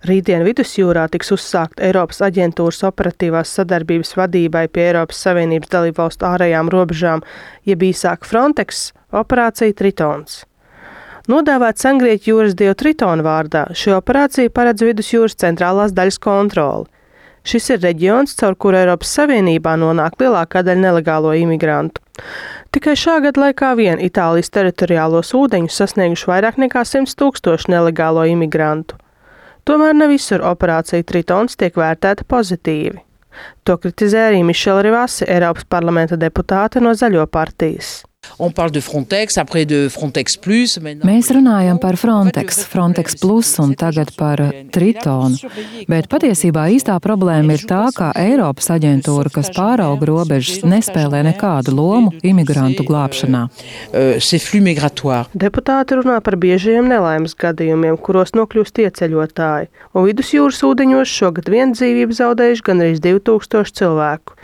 Rītdien Vidusjūrā tiks uzsākt Eiropas aģentūras operatīvās sadarbības vadībai pie Eiropas Savienības dalībvalstu ārējām robežām, jeb īsāk Frontex, operācija Tritons. Nodēvēts Angļiešu jūras dievu Tritona vārdā, šī operācija paredz Vidusjūras centrālās daļas kontroli. Šis ir reģions, caur kuru Eiropas Savienībā nonāk lielākā daļa nelegālo imigrantu. Tikai šā gada laikā vien Itālijas teritoriālos ūdeņus sasnieguši vairāk nekā 100 000 nelegālo imigrantu. Tomēr ne visur operācija Tritons tiek vērtēta pozitīvi. To kritizē arī Mišela Rivasi, Eiropas parlamenta deputāte no Zaļo partijas. Mēs runājam par Frontex, Frontex Plus un tagad par Tritonu, bet patiesībā īstā problēma ir tā, ka Eiropas aģentūra, kas pārauga robežas, nespēlē nekādu lomu imigrantu glābšanā. Deputāti runā par biežajiem nelaimes gadījumiem, kuros nokļūst ieceļotāji, un Vidusjūras ūdeņos šogad vien dzīvību zaudējuši gandrīz 2000 cilvēku.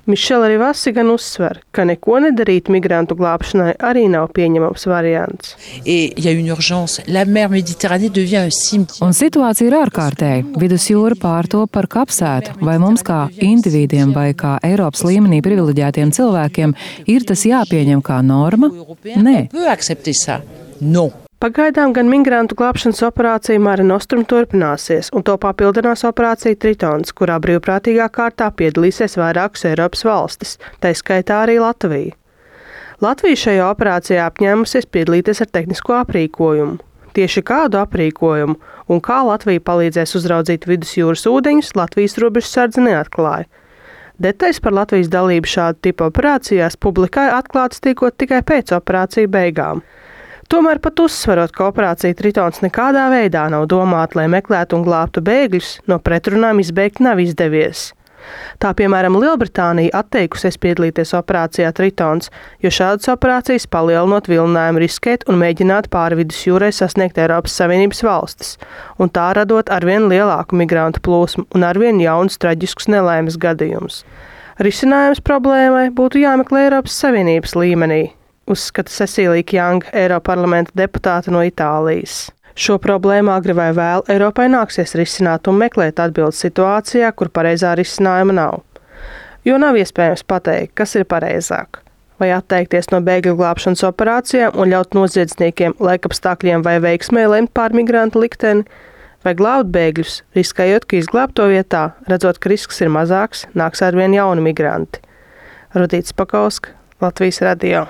Mišela Rivasi gan uzsver, ka neko nedarīt migrantu glābšanai arī nav pieņemams variants. Un situācija ir ārkārtēja. Vidusjūra pārtop par kapsētu. Vai mums kā individiem vai kā Eiropas līmenī privileģētiem cilvēkiem ir tas jāpieņem kā norma? Nē. Pagaidām gan migrantu glābšanas operācija Mare Nostrum turpināsies, un to papildinās operācija Tritons, kurā brīvprātīgā kārtā piedalīsies vairākas Eiropas valstis, tai skaitā arī Latvija. Latvija šajā operācijā apņēmusies piedalīties ar tehnisko aprīkojumu. Tieši kādu aprīkojumu un kā Latvija palīdzēs uzraudzīt Vidusjūras ūdeņus, Latvijas robežsardze neatklāja. Detaļas par Latvijas dalību šādu tipu operācijās publikai atklātas tikot tikai pēc operāciju beigām. Tomēr pat uzsverot, ka operācija Tritons nekādā veidā nav domāta, lai meklētu un glābtu bēgļus, no pretrunām izbeigt nav izdevies. Tā, piemēram, Lielbritānija atteikusies piedalīties operācijā Tritons, jo šādas operācijas palielinot vilinājumu riskēt un mēģināt pāri Vidusjūrai sasniegt Eiropas Savienības valstis, un tā radot arvien lielāku migrantu plūsmu un arvien jaunus traģiskus nelaimes gadījumus. Risinājums problēmai būtu jāmeklē Eiropas Savienības līmenī, uzskata Cecīlija Kjanga, Eiroparlamenta deputāte no Itālijas. Šo problēmu agri vai vēl Eiropai nāksies risināt un meklēt atbildes situācijā, kur pareizā risinājuma nav. Jo nav iespējams pateikt, kas ir pareizāk. Vai atteikties no bēgļu glābšanas operācijām un ļaut noziedzniekiem, laikapstākļiem vai veiksmē lemt pār migrantu likteni, vai glābt bēgļus, riskējot, ka izglābto vietā, redzot, ka risks ir mazāks, nāks arvien jauni migranti. Rudīts Pakauska, Latvijas radio.